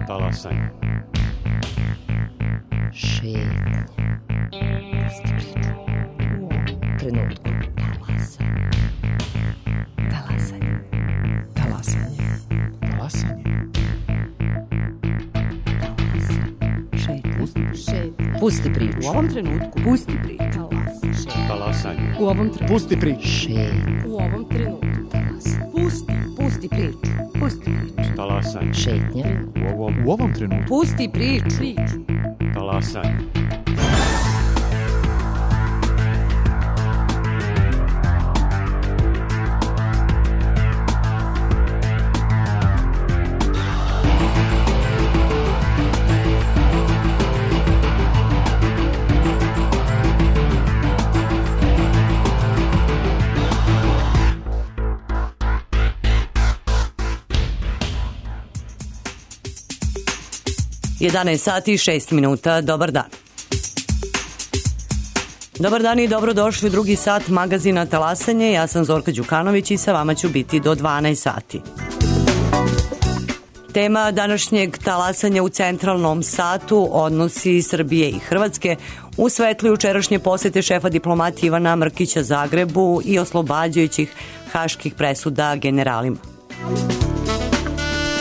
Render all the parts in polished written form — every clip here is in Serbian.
Talasanje. Šetnje. Pusti priču. U ovom trenutku. Talasanje. Talasanje. Talasanje. Šetnje. Pusti priču. U ovom trenutku. Pusti priču. Talasanje. U ovom trenutku. Pusti priču. Šetnje. U ovom trenutku. Pusti priču. Pusti priču. Talasanje. Šetnje. U ovom trenutku. Pusti priču. Talasanje. Sati i 6 minuta. Dobar dan. Dobar dan i dobrodošli u drugi sat magazina Talasanje. Ja sam Zorka Đukanović i sa vama ću biti do 12 sati. Tema današnjeg talasanja u centralnom satu odnosi Srbije i Hrvatske u svetlu jučerašnje posete šefa diplomatije Ivana Mrkića Zagrebu i oslobađajućih haških presuda generalima.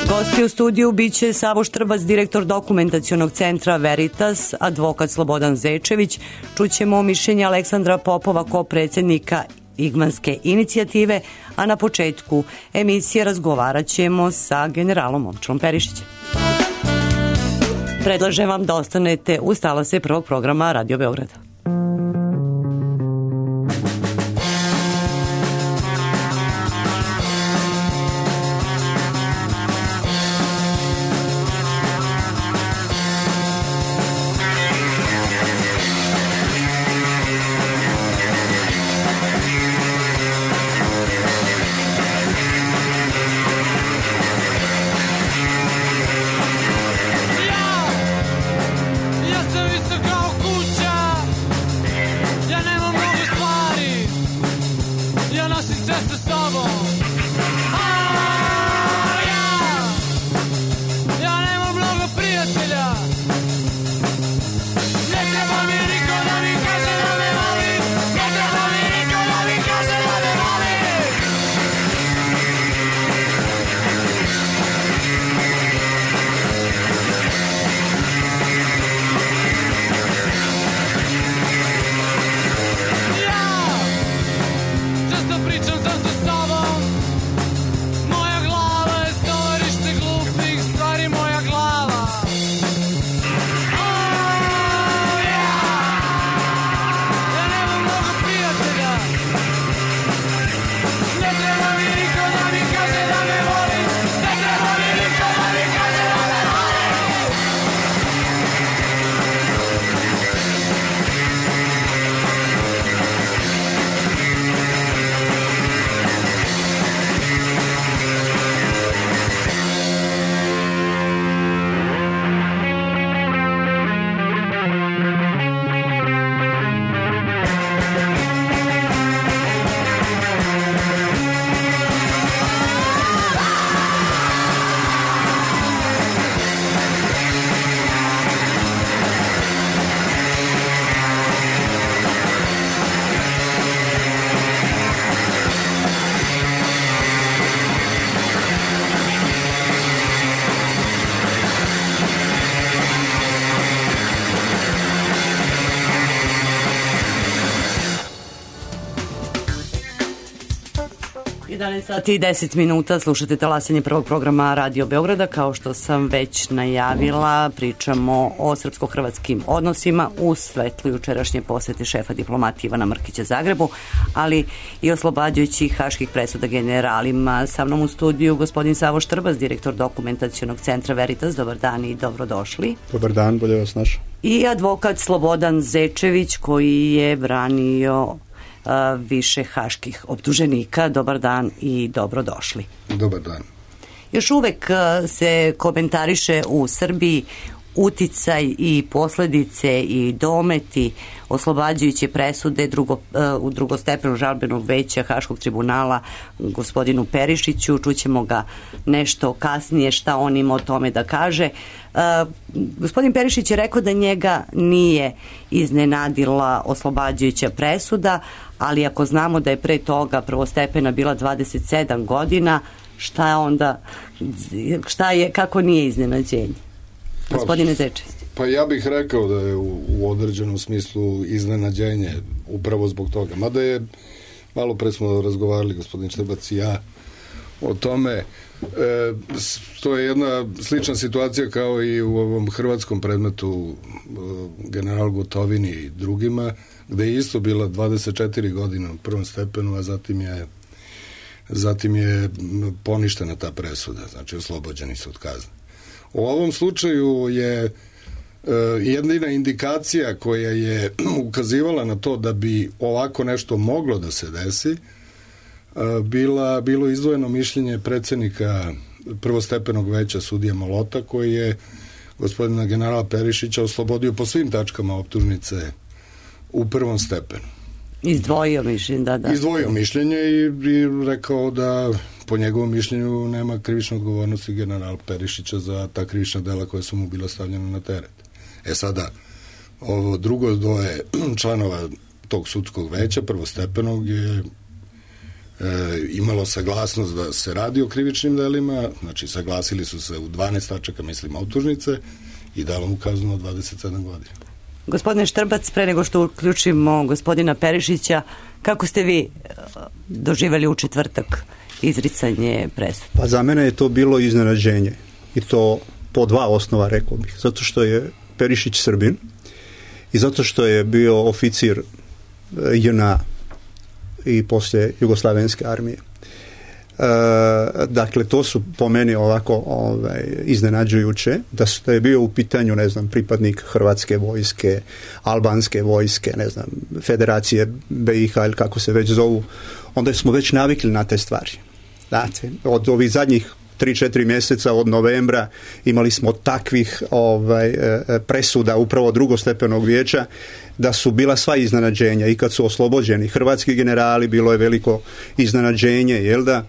Gosti u studiju biće Savo Štrbac, direktor dokumentacionog centra Veritas, advokat Slobodan Zečević, čućemo mišljenje Aleksandra Popova kao predsjednika Igmanske inicijative, a na početku emisije razgovarat ćemo sa generalom Momčilom Perišićem. Predlažem vam da ostanete uz talase prvog programa Radio Beograda. Sati i 10 minuta, slušate talasanje prvog programa Radio Beograda. Kao što sam već najavila, pričamo o srpsko-hrvatskim odnosima u svetlu jučerašnje posete šefa diplomatije Ivana Mrkića Zagrebu, ali i oslobađajućih haških presuda generalima. Sa mnom u studiju gospodin Savo Štrbac, direktor dokumentacionog centra Veritas. Dobar dan i dobrodošli. Dobar dan, bolje vas našao. I advokat Slobodan Zečević, koji je branio više haških optuženika. Dobar dan i dobrodošli. Dobar dan. Još uvek se komentariše u Srbiji uticaj i posljedice i dometi oslobađajuće presude u drugostepenog žalbenog veća Haškog tribunala gospodinu Perišiću. Čućemo ga nešto kasnije šta on ima o tome da kaže. Gospodin Perišić je rekao da njega nije iznenadila oslobađajuća presuda, ali ako znamo da je pre toga prvostepena bila 27 godina, kako nije iznenađenje? Gospodine Zečević. Pa ja bih rekao da je u određenom smislu iznenađenje upravo zbog toga. Mada je, malo pre smo razgovarali gospodin Štrbac i ja o tome, to je jedna slična situacija kao i u ovom hrvatskom predmetu general Gotovini i drugima, gde je isto bila 24 godine u prvom stepenu, a zatim je poništena ta presuda, znači oslobođeni su od kazne. U ovom slučaju je jedina indikacija koja je ukazivala na to da bi ovako nešto moglo da se desi bilo izdvojeno mišljenje predsjednika prvostepenog veća sudija Malota, koji je gospodina generala Perišića oslobodio po svim tačkama optužnice u prvom stepenu. Izdvojio mišljenje, da. Izdvojio mišljenje i rekao da po njegovom mišljenju nema krivične odgovornosti general Perišića za ta krivična dela koja su mu bila stavljena na teret. Sada, ovo drugo dvoje članova tog sudskog veća prvostepenog je imalo saglasnost da se radi o krivičnim delima, znači saglasili su se u 12 tačaka, mislim, optužnice i dalo mu kaznu od 27 godina. Gospodine Štrbac, pre nego što uključimo gospodina Perišića, kako ste vi doživjeli u četvrtak izricanje presude? Pa za mene je to bilo iznenađenje i to po dva osnova, rekao bih. Zato što je Perišić Srbin i zato što je bio oficir JNA i poslije Jugoslavenske armije. Dakle, to su po meni ovako iznenađujuće, da je bio u pitanju, ne znam, pripadnik Hrvatske vojske, Albanske vojske, ne znam, Federacije BiH ili kako se već zovu, onda smo već navikli na te stvari. Znate, od ovih zadnjih 3-4 mjeseca od novembra imali smo takvih presuda upravo drugostepenog vijeća da su bila sva iznenađenja i kad su oslobođeni hrvatski generali bilo je veliko iznenađenje, jel da?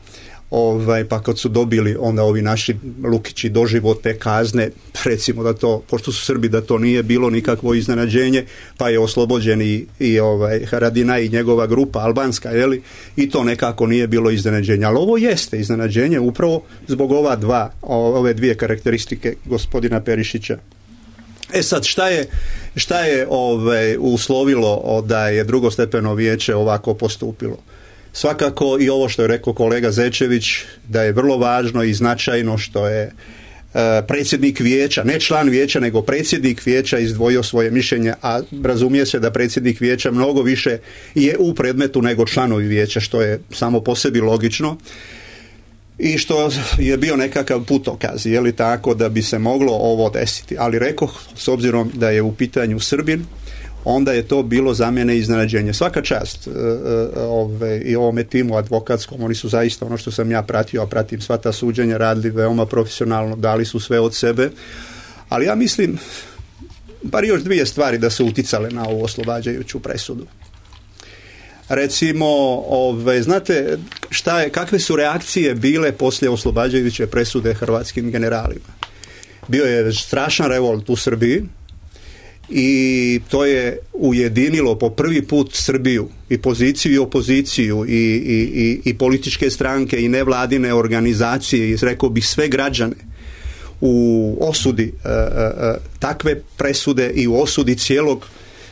Pa kad su dobili onda ovi naši Lukići doživotne kazne, recimo da to, pošto su Srbi, da to nije bilo nikakvo iznenađenje, pa je oslobođen i Haradinaj i njegova grupa albanska, jeli? I to nekako nije bilo iznenađenje. Ali ovo jeste iznenađenje upravo zbog ove dvije karakteristike gospodina Perišića. Sad, šta je uslovilo da je drugostepeno vijeće ovako postupilo? Svakako i ovo što je rekao kolega Zečević, da je vrlo važno i značajno što je predsjednik vijeća, ne član vijeća, nego predsjednik vijeća izdvojio svoje mišljenje, a razumije se da predsjednik vijeća mnogo više je u predmetu nego članovi vijeća, što je samo po sebi logično. I što je bio nekakav putokaz, je li tako, da bi se moglo ovo desiti. Ali rekoh, s obzirom da je u pitanju Srbin, onda je to bilo za mene iznenađenje. Svaka čast i ovome timu advokatskom, oni su zaista, ono što sam ja pratio, a pratim sva ta suđenja, radili veoma profesionalno, dali su sve od sebe, ali ja mislim, bar još dvije stvari da su uticale na ovu oslobađajuću presudu. Recimo, znate kakve su reakcije bile poslije oslobađajuće presude hrvatskim generalima? Bio je strašan revolt u Srbiji i to je ujedinilo po prvi put Srbiju, i poziciju i opoziciju, i političke stranke i nevladine organizacije, i rekao bih sve građane, u osudi takve presude i u osudi cijelog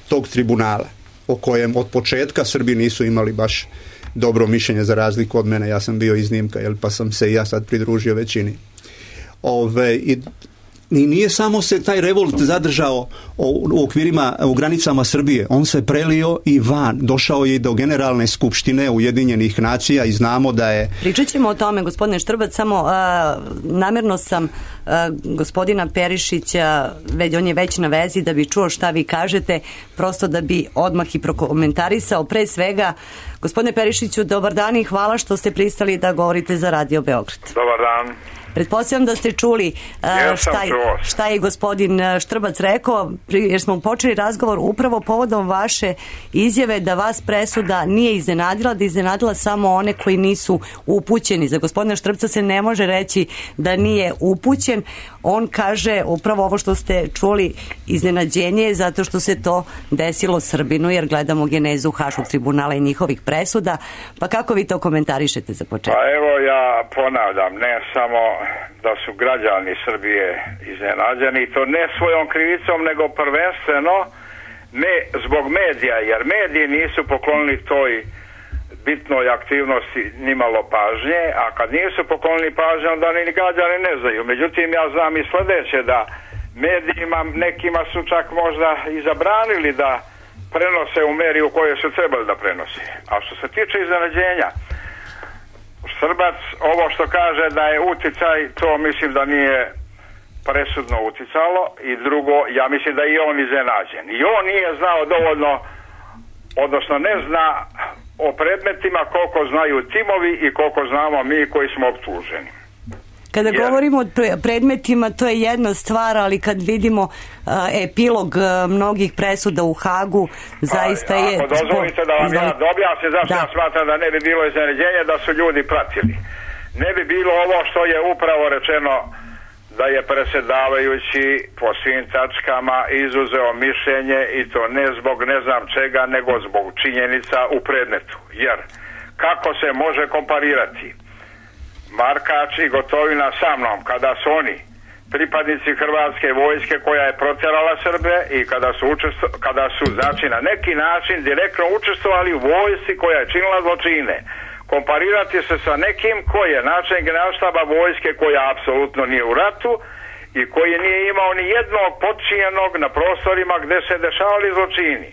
tog tribunala, o kojem od početka Srbi nisu imali baš dobro mišljenje, za razliku od mene. Ja sam bio iznimka, pa sam se i ja sad pridružio većini. I nije samo se taj revolt zadržao u granicama Srbije, on se prelio i van, došao je i do Generalne skupštine Ujedinjenih nacija i znamo da je... Pričat ćemo o tome, gospodine Štrbac, samo namjerno sam gospodina Perišića, on je već na vezi da bi čuo šta vi kažete, prosto da bi odmah i prokomentarisao. Pre svega, gospodine Perišiću, dobar dan i hvala što ste pristali da govorite za Radio Beograd. Dobar dan. Pretpostavljam da ste čuli šta je gospodin Štrbac rekao, jer smo počeli razgovor upravo povodom vaše izjave da vas presuda nije iznenadila, da je iznenadila samo one koji nisu upućeni. Za gospodina Štrpca se ne može reći da nije upućen. On kaže upravo ovo što ste čuli, iznenađenje zato što se to desilo Srbinu, jer gledamo genezu Haškog tribunala i njihovih presuda. Pa kako vi to komentarišete za početak? Pa evo, ja ponavljam, ne samo da su građani Srbije iznenađeni, to ne svojom krivicom, nego prvenstveno ne zbog medija, jer mediji nisu poklonili toj bitnoj aktivnosti nimalo pažnje, a kad nisu poklonili pažnje, onda ni građani ne znaju. Međutim, ja znam i sledeće, da medijima nekima su čak možda i zabranili da prenose u meri u kojoj su trebali da prenose. A što se tiče iznenađenja, Štrbac, ovo što kaže da je uticaj, to mislim da nije presudno uticalo, i drugo, ja mislim da je i on iznenađen. I on nije znao dovoljno, odnosno ne zna o predmetima koliko znaju timovi i koliko znamo mi koji smo optuženi. Kada govorimo o predmetima, to je jedna stvar, ali kad vidimo epilog mnogih presuda u Hagu, zaista je... Ako dozvolite da vam ja objasnim zašto ja smatram da ne bi bilo iznenađenja, da su ljudi pratili. Ne bi bilo ovo što je upravo rečeno, da je predsjedavajući po svim tačkama izuzeo mišljenje, i to ne zbog ne znam čega, nego zbog činjenica u predmetu. Jer kako se može komparirati Markač i Gotovina sa mnom, kada su oni pripadnici Hrvatske vojske koja je protjerala Srbe i kada su znači na neki način direktno učestvovali u vojsci koja je činila zločine. Komparirati se sa nekim koji je načelnik generalštaba vojske koja apsolutno nije u ratu i koji nije imao ni jednog podčinjenog na prostorima gde se dešavali zločini.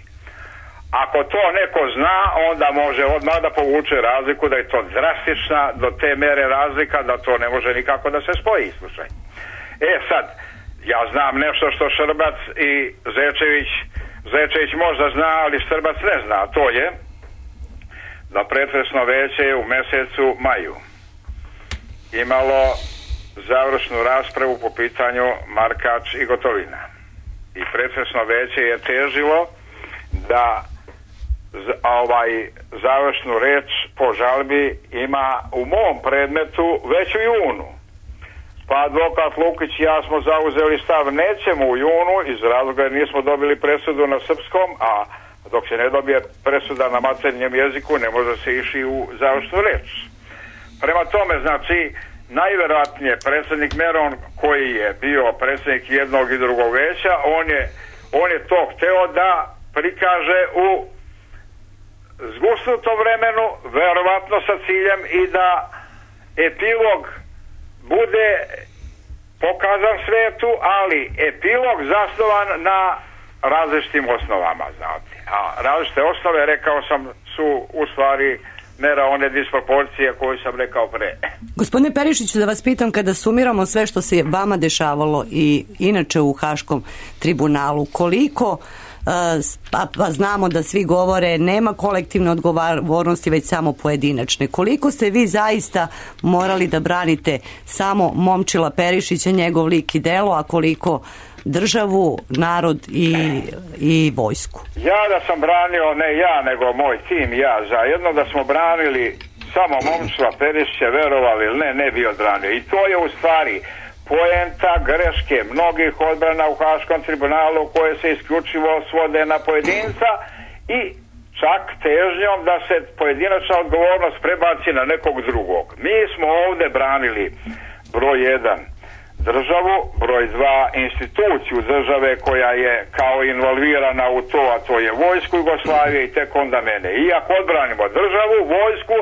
Ako to neko zna, onda može odmah da povuče razliku, da je to drastična do te mere razlika da to ne može nikako da se spoji. Slušaj. Sad, ja znam nešto što Štrbac i Zečević možda zna, ali Štrbac ne zna. To je da pretresno veće u mesecu maju imalo završnu raspravu po pitanju Markač i Gotovina. I pretresno veće je težilo da završnu reč po žalbi ima u mom predmetu već u junu. Pa advokat Lukić i ja smo zauzeli stav nećemo u junu iz razloga jer nismo dobili presudu na srpskom, a dok se ne dobije presuda na maternjem jeziku ne može se ići u završnu reč. Prema tome, znači, najverovatnije predsjednik Meron, koji je bio predsjednik jednog i drugog veća, on je to hteo da prikaže u zgusnutom vremenu, verovatno sa ciljem i da epilog bude pokazan svetu, ali epilog zasnovan na različitim osnovama, znate. A različite osnove, rekao sam, su u stvari mera one disproporcije koju sam rekao pre. Gospodine Perišiću, da vas pitam, kada sumiramo sve što se vama dešavalo i inače u Haškom tribunalu, koliko, pa znamo da svi govore nema kolektivne odgovornosti već samo pojedinačne, koliko ste vi zaista morali da branite samo Momčila Perišića, njegov lik i delo, a koliko državu, narod i vojsku? Ja da sam branio, ne ja, nego moj tim i ja zajedno, da smo branili samo Momčila Perišića, verovali ili ne bi odbranio. I to je u stvari poenta greške mnogih odbrana u Haškom tribunalu koje se isključivo svode na pojedinca i čak težnjom da se pojedinačna odgovornost prebaci na nekog drugog. Mi smo ovde branili broj 1 državu, broj 2 instituciju države koja je kao involvirana u to, a to je vojsku Jugoslavije i tek onda mene. I ako odbranimo državu, vojsku,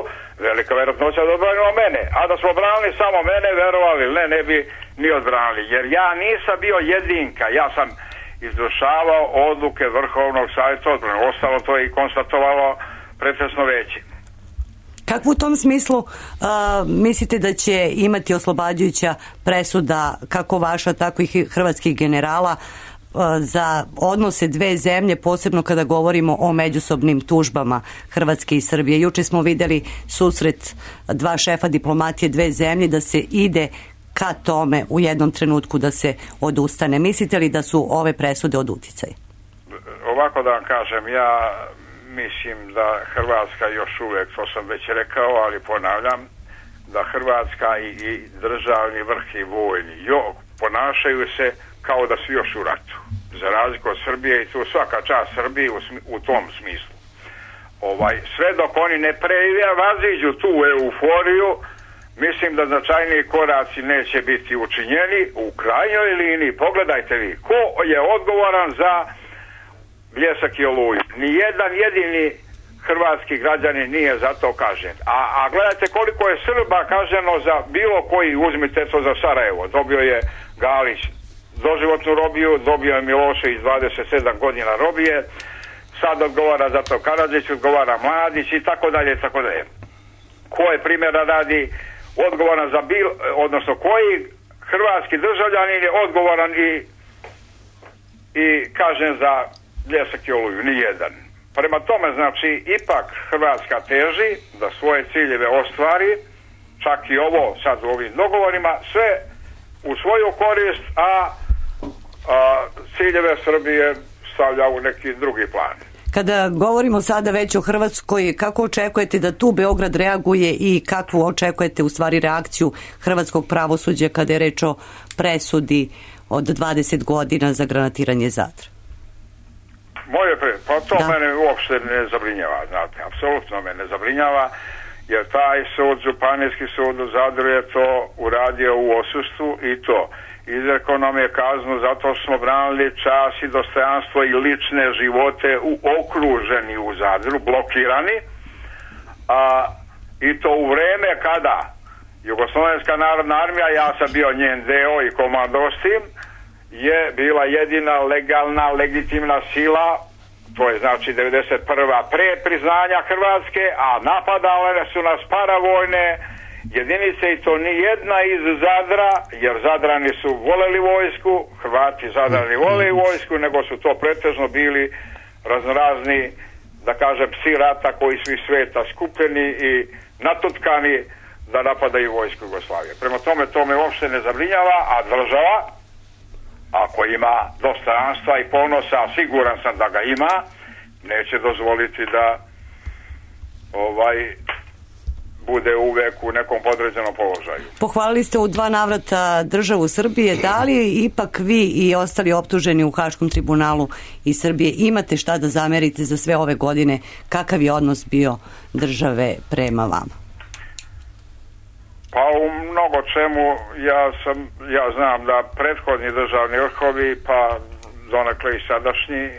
velika vjerojatnoća da odbranimo mene. A da smo branili samo mene, verovali ne bi ni odbranili. Jer ja nisam bio jedinka, ja sam izvršavao odluke Vrhovnog savjeta odbrane. Ostalo to je i konstatovalo pretresno veće. Kako u tom smislu mislite da će imati oslobađajuća presuda kako vaša, tako i hrvatskih generala za odnose dve zemlje, posebno kada govorimo o međusobnim tužbama Hrvatske i Srbije? Juče smo videli susret dva šefa diplomatije dve zemlje, da se ide ka tome u jednom trenutku da se odustane? Mislite li da su ove presude od uticaja? Ovako da vam kažem, ja mislim da Hrvatska još uvijek, to sam već rekao, ali ponavljam, da Hrvatska i državni vrh i vojni ponašaju se kao da su još u ratu. Za razliku od Srbije, i tu svaka čast Srbiji u tom smislu. Sve dok oni ne prevaziđu tu euforiju, mislim da značajniji koraci neće biti učinjeni. U krajnjoj liniji, pogledajte vi, ko je odgovoran za Bljesak i Oluju? Nijedan jedini hrvatski građanin nije za to kažen. A gledajte koliko je Srba kaženo za bilo koji, uzmite to za Sarajevo. Dobio je Galić doživotnu robiju, dobio je Milošević 27 godina robije, sad odgovara za to Karadžić, odgovara Mladić i tako dalje, i tako dalje. Ko je primjera radi odgovoran za odnosno koji hrvatski državljanin je odgovoran i kažen za Bljesak i Oluju? Nijedan. Prema tome, znači, ipak Hrvatska teži da svoje ciljeve ostvari, čak i ovo sad u ovim dogovorima, sve u svoju korist, a ciljeve Srbije stavlja u neki drugi plan. Kada govorimo sada već o Hrvatskoj, kako očekujete da tu Beograd reaguje i kakvu očekujete u stvari reakciju hrvatskog pravosuđa kada je reč o presudi od 20 godina za granatiranje Zadra? Pa to mene uopšte ne zabrinjava, znate, apsolutno me ne zabrinjava, jer taj sud, Županijski sud u Zadru je to uradio u odsustvu i to izrekao nam je kaznu zato smo branili čas i dostojanstvo i lične živote okruženi u Zadru, blokirani, i to u vreme kada Jugoslovenska narodna armija, ja sam bio njen deo i komandovao s tim, je bila jedina legalna, legitimna sila, to je znači 91. pre priznanja Hrvatske, a napadale su nas paravojne jedinice i to ni jedna iz Zadra, jer Zadrani su voleli vojsku, Hrvati Zadrani vole vojsku, nego su to pretežno bili raznorazni, da kažem, psi rata koji su iz sveta skupljeni i natutkani da napadaju vojsku Jugoslavije. Prema tome, to me uopšte ne zabrinjava, a država, ako ima dostojanstva i ponosa, siguran sam da ga ima, neće dozvoliti da bude uvek u nekom podređenom položaju. Pohvalili ste u 2 navrata državu Srbije. Da li ipak vi i ostali optuženi u Haškom tribunalu iz Srbije imate šta da zamerite za sve ove godine? Kakav je odnos bio države prema vama? Pa u mnogo čemu ja znam da prethodni državni vrhovi, pa donekle i sadašnji,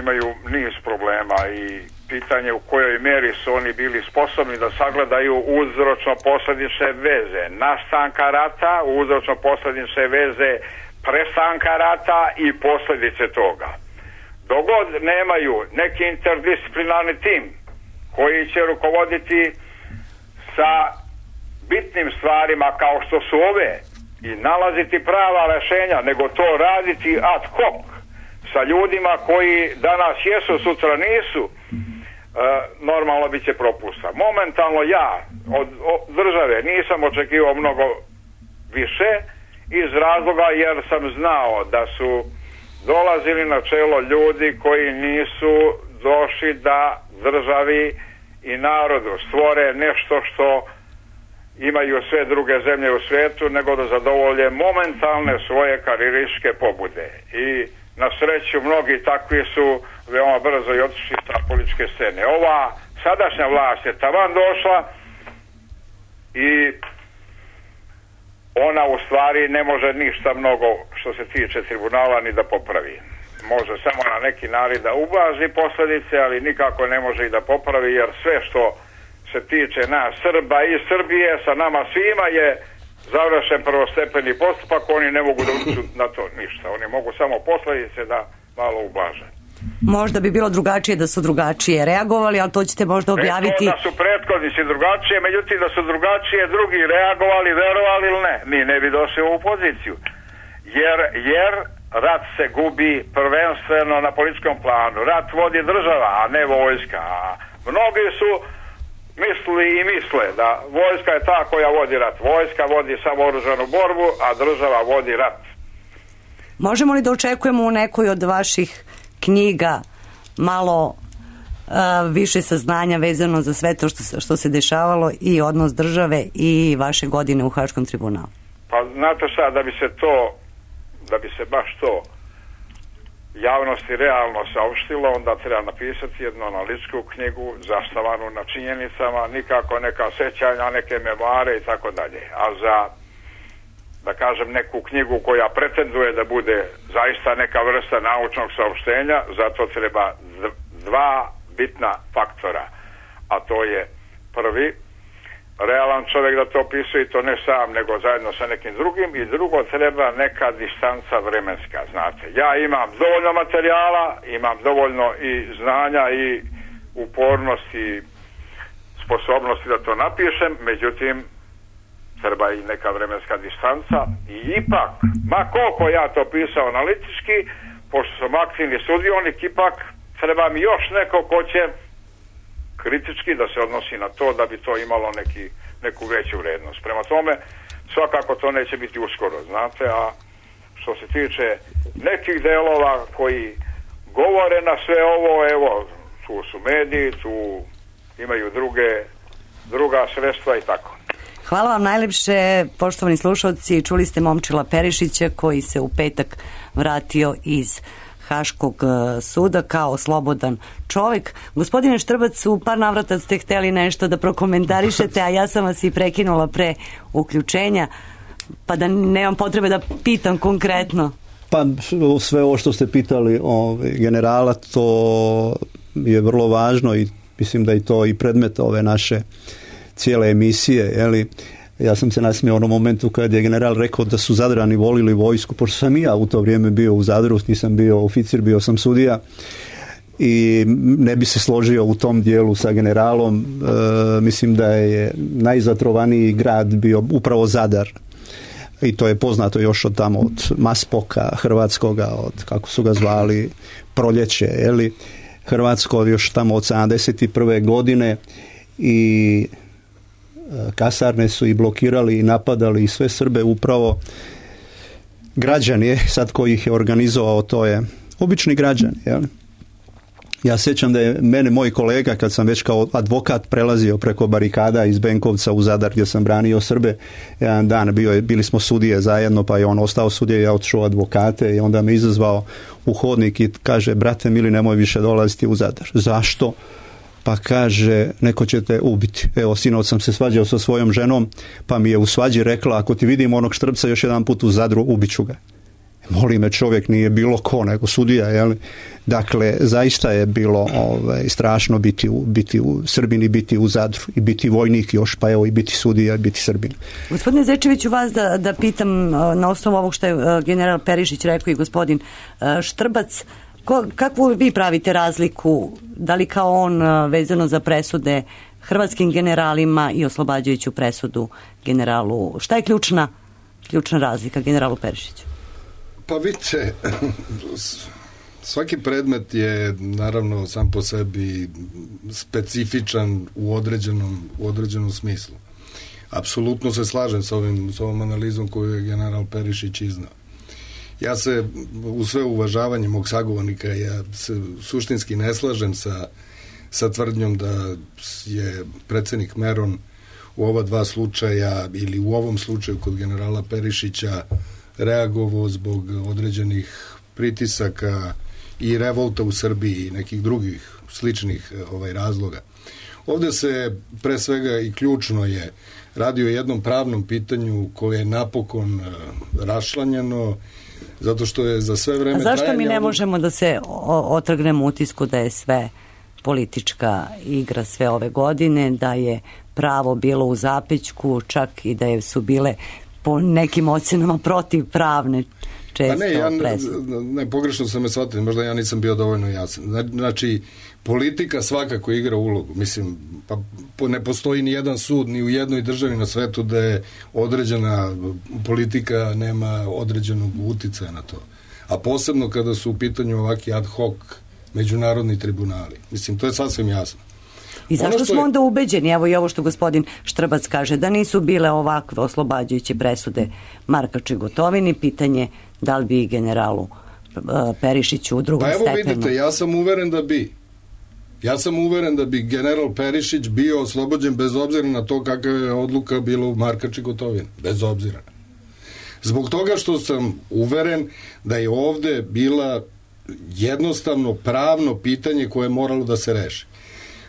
imaju niz problema i pitanje u kojoj meri su oni bili sposobni da sagledaju uzročno-posljedične veze nastanka rata, uzročno-posljedične veze prestanka rata i posljedice toga. Dogod nemaju neki interdisciplinarni tim koji će rukovoditi sa bitnim stvarima kao što su ove i nalaziti prava rješenja, nego to raditi ad hoc sa ljudima koji danas jesu, sutra nisu, normalno bit će propusta. Momentalno ja od države nisam očekivao mnogo više iz razloga jer sam znao da su dolazili na čelo ljudi koji nisu došli da državi i narodu stvore nešto što imaju sve druge zemlje u svijetu, nego da zadovolje momentalne svoje karijerističke pobude. I na sreću mnogi takvi su veoma brzo i otišli sa političke scene. Ova sadašnja vlast je taman došla i ona u stvari ne može ništa mnogo što se tiče tribunala ni da popravi. Može samo na neki način da ublaži posljedice, ali nikako ne može i da popravi, jer sve što se tiče nas Srba i Srbije sa nama svima je završen prvostepeni postupak, oni ne mogu da uču na to ništa. Oni mogu samo posljedice da malo ublaže. Možda bi bilo drugačije da su drugačije reagovali, ali to ćete možda objaviti. Da su prethodnici drugačije, međutim da su drugačije drugi reagovali, verovali ili ne, mi ne bi došli u ovu poziciju. Jer rat se gubi prvenstveno na političkom planu. Rat vodi država, a ne vojska. A mnogi su mislili i misle da vojska je ta koja vodi rat. Vojska vodi samo oružanu borbu, a država vodi rat. Možemo li da očekujemo u nekoj od vaših knjiga malo više saznanja vezano za sve to što se dešavalo i odnos države i vaše godine u Haškom tribunalu? Pa znate šta, da bi se baš to javnosti realno saopštilo, onda treba napisati jednu analitičku knjigu zasnovanu na činjenicama, nikako neka sećanja, neke memoare i tako dalje. A za, da kažem, neku knjigu koja pretenduje da bude zaista neka vrsta naučnog saopštenja, zato treba dva bitna faktora. A to je prvi, realan čovjek da to opisuje i to ne sam, nego zajedno sa nekim drugim, i drugo, treba neka distanca vremenska, znate. Ja imam dovoljno materijala, imam dovoljno i znanja i upornosti i sposobnosti da to napišem, međutim treba i neka vremenska distanca i ipak, ma koliko ja to pisao analitički, pošto sam aktivni sudionik, ipak treba mi još neko ko će kritički da se odnosi na to da bi to imalo neku veću vrednost. Prema tome, svakako to neće biti uskoro, znate, a što se tiče nekih delova koji govore na sve ovo, evo, tu su mediji, tu imaju druga sredstva i tako. Hvala vam najlepše, poštovani slušalci. Čuli ste Momčila Perišića koji se u petak vratio iz Haškog suda kao slobodan čovjek. Gospodine Štrbac, u par navrata ste hteli nešto da prokomentarišete, a ja sam vas i prekinula pre uključenja, pa da nemam potrebe da pitam konkretno. Pa sve ovo što ste pitali generala, to je vrlo važno i mislim da je to i predmet ove naše cijele emisije, jeli? Ja sam se nasmijao u onom momentu kad je general rekao da su Zadrani volili vojsku, pošto sam i ja u to vrijeme bio u Zadru, nisam bio oficir, bio sam sudija i ne bi se složio u tom dijelu sa generalom. Mislim da je najzatrovaniji grad bio upravo Zadar. I to je poznato još od tamo, od Maspoka hrvatskoga, od kako su ga zvali, Proljeće, jeli? Hrvatsko još tamo od 71. godine i kasarne su i blokirali i napadali i sve Srbe, upravo građani, sad koji ih je organizovao, to je obični građani, jel? Ja sjećam da je mene moj kolega, kad sam već kao advokat prelazio preko barikada iz Benkovca u Zadar gdje sam branio Srbe, jedan dan bili smo sudije zajedno, pa je on ostao sudije, ja otišao advokate i onda me izazvao u hodnik i kaže, brate mili, nemoj više dolaziti u Zadar. Zašto? Pa kaže, neko će te ubiti. Evo, sinoć sam se svađao sa svojom ženom, pa mi je u svađi rekla, ako ti vidim onog Štrbca još jedan put u Zadru, ubiću ga. Moli me, čovjek nije bilo ko, nego sudija, jel? Dakle, zaista je bilo strašno biti u Srbini, biti u Zadru i biti vojnik još, pa evo i biti sudija i biti Srbin. Gospodine Zečeviću, vas da pitam na osnovu ovog što je general Perišić rekao i gospodin Štrbac, kakvu vi pravite razliku, da li kao on vezano za presude hrvatskim generalima i oslobađajuću presudu generalu? Šta je ključna razlika generalu Perišiću? Pa vidite, svaki predmet je naravno sam po sebi specifičan u određenom smislu. Apsolutno se slažem s ovom analizom koju je general Perišić iznao. Ja se, u sve uvažavanje mog sagovornika, ja se suštinski ne slažem sa tvrdnjom da je predsjednik Meron u ova dva slučaja ili u ovom slučaju kod generala Perišića reagovao zbog određenih pritisaka i revolta u Srbiji i nekih drugih sličnih razloga. Ovdje se pre svega i ključno je radi o jednom pravnom pitanju koje je napokon rašlanjeno, zato što je za sve vreme trajanja... A zašto mi ne možemo da se otrgnemo utisku da je sve politička igra sve ove godine, da je pravo bilo u zapećku, čak i da su bile po nekim ocjenama protivpravne često presude? Ne, pogrešno sam me shvatili, možda ja nisam bio dovoljno jasan. Znači, politika svakako igra ulogu. Mislim, pa ne postoji ni jedan sud ni u jednoj državi na svetu da je određena politika nema određenog uticaja na to. A posebno kada su u pitanju ovaki ad hoc međunarodni tribunali. Mislim, to je sasvim jasno. I zašto smo onda ubeđeni, evo i ovo što gospodin Štrbac kaže, da nisu bile ovakve oslobađajuće presude Markaču i Gotovini, pitanje da li bi generalu Perišiću u drugom stepenu. Pa evo vidite, ja sam uveren da bi general Perišić bio oslobođen bez obzira na to kakva je odluka bila u Markač i Gotovini. Bez obzira. Zbog toga što sam uveren da je ovde bila jednostavno pravno pitanje koje je moralo da se reši.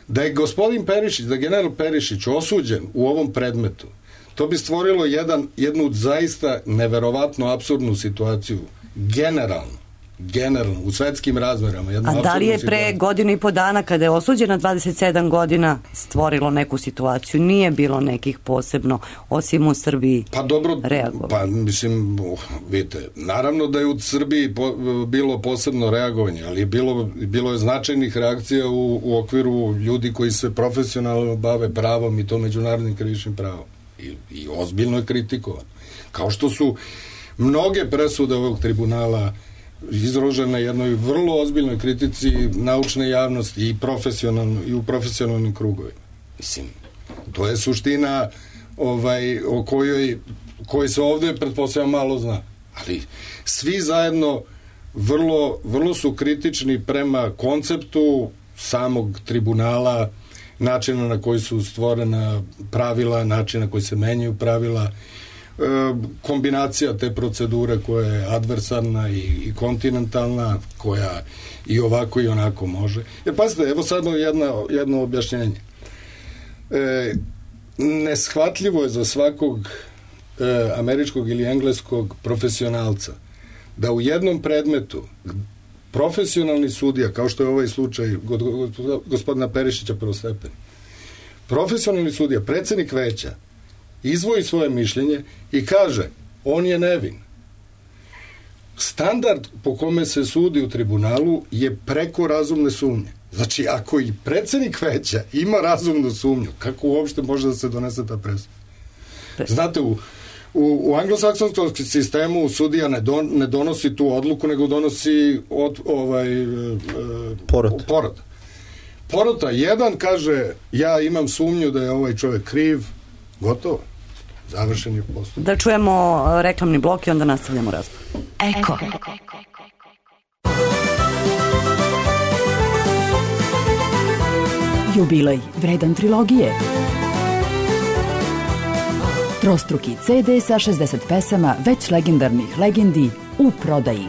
Da je gospodin Perišić, da je general Perišić osuđen u ovom predmetu, to bi stvorilo jednu zaista neverovatno apsurdnu situaciju. Generalno, u svetskim razmerama. A da li je pre godinu i po dana, kada je osuđena 27 godina, stvorilo neku situaciju? Nije bilo nekih posebno, osim u Srbiji, reagovalo? Pa mislim, vidite, naravno da je u Srbiji bilo posebno reagovanje, ali bilo je značajnih reakcija u okviru ljudi koji se profesionalno bave pravom i to međunarodnim krivičnim pravom. I ozbiljno je kritikovan. Kao što su mnoge presude ovog tribunala izložene jednoj vrlo ozbiljnoj kritici naučne javnosti i u profesionalnim krugovima. Mislim, to je suština o kojoj se ovde pretpostavljam malo zna. Ali svi zajedno vrlo su kritični prema konceptu samog tribunala, načina na koji su stvorena pravila, načina na koji se menjaju pravila, kombinacija te procedure koja je adversarna i kontinentalna, koja i ovako i onako može. Jer pazite, evo sad jedno objašnjenje. Neshvatljivo je za svakog američkog ili engleskog profesionalca da u jednom predmetu profesionalni sudija, kao što je ovaj slučaj gospodina Perišića prvostepeni, profesionalni sudija, predsednik veća, izvoji svoje mišljenje i kaže, on je nevin. Standard po kome se sudi u tribunalu je preko razumne sumnje. Znači, ako i predsednik veća ima razumnu sumnju, kako uopšte može da se donese ta presuda? Znate, u anglosaksonskom sistemu sudija ne donosi tu odluku, nego donosi porota. Jedan kaže, ja imam sumnju da je ovaj čovjek kriv, gotovo. Završen je postupak. Da čujemo reklamni blok i onda nastavljamo razgovor. Eko. Jubilej vredan trilogije. Trostruki CD sa 60 pesama već legendarnih legendi u prodaji.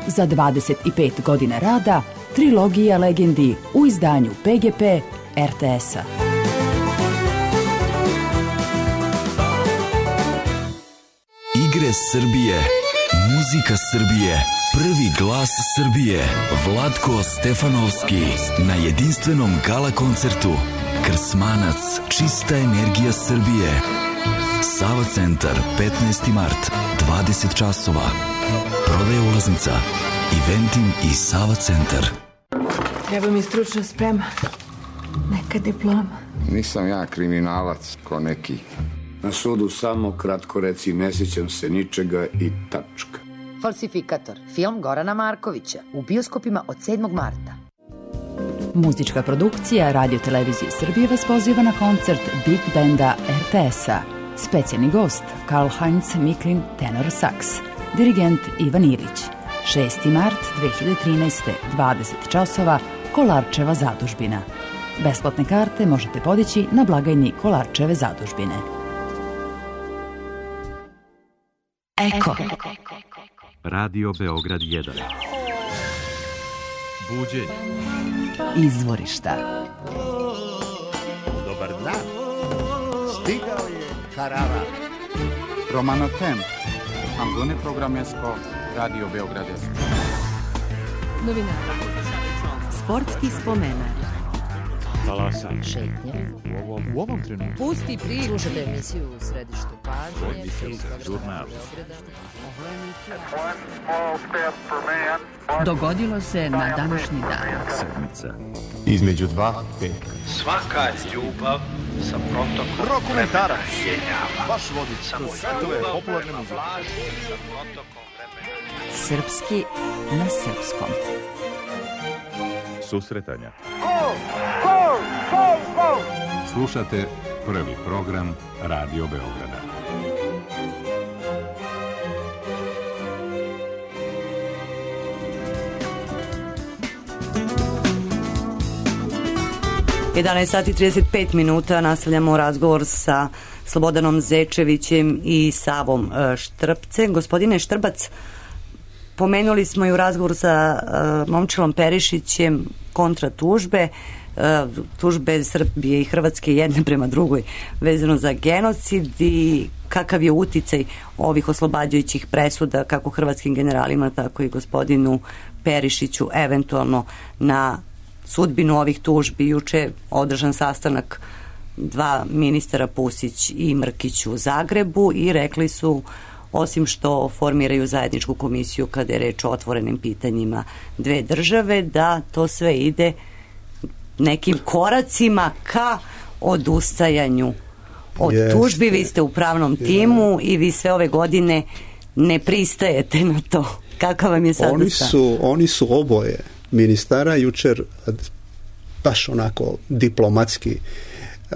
Za 25 godina rada trilogija legendi u izdanju PGP RTS-a. Igre Srbije, muzika Srbije, prvi glas Srbije, Vlatko Stefanovski na jedinstvenom gala koncertu Krsmanac, čista energija Srbije. Sava centar, 15. mart, 20 časova. Prodaja ulaznica, Eventim i Sava centar. Treba mi stručna sprema, neka diploma. Nisam ja kriminalac ko neki. Na sudu samo kratko reci ne sjećam se ničega i tačka. Falsifikator, film Gorana Markovića, u bioskopima od 7. marta. Muzička produkcija Radio Televizije Srbije vas poziva na koncert Big Banda RTS-a. Specijalni gost Karl-Heinz Miklin, tenor saks. Dirigent Ivan Ilić. 6. mart 2013. 20 časova, Kolarčeva zadužbina. Besplatne karte možete podići na blagajni Kolarčeve zadužbine. Eko. Radio Beograd 1. Buđenje. Izvorišta. Dobar dan. Stigao je Harara. Romano Temp. Ambune programesko Radio Beograd 1. Novinara. Sportski spomenar. Talasanje. Šetnje. U ovom trenutku. Pusti priču. Slušate emisiju u središtu pažnje. Žurnal. Dogodilo se na današnji dan. Sedmica. Između dva petka. Svaka ljubav sa protokom Rokomentarac. jenjava. Baš vodič. Samo Svetove ljubav popularne prema muzike. vlaži sa protokom vremena. Srpski na srpskom. susretanja. Slušate prvi program Radio Beograda. Sati 35 minuta nastavljamo razgovor sa Slobodanom Zečevićem i Savom Štrpcem. Gospodine Štrbac, pomenuli smo i u razgovoru sa Momčilom Perišićem kontra tužbe Srbije i Hrvatske jedne prema drugoj vezano za genocid i kakav je uticaj ovih oslobađajućih presuda kako hrvatskim generalima tako i gospodinu Perišiću eventualno na sudbinu ovih tužbi. Juče je održan sastanak dva ministara, Pusić i Mrkić, u Zagrebu i rekli su, osim što formiraju zajedničku komisiju kada je reč o otvorenim pitanjima dve države, da to sve ide nekim koracima ka odustajanju od tužbi. Vi ste u pravnom timu i vi sve ove godine ne pristajete na to. Kakav vam je sad? Oni su oboje ministara jučer baš onako diplomatski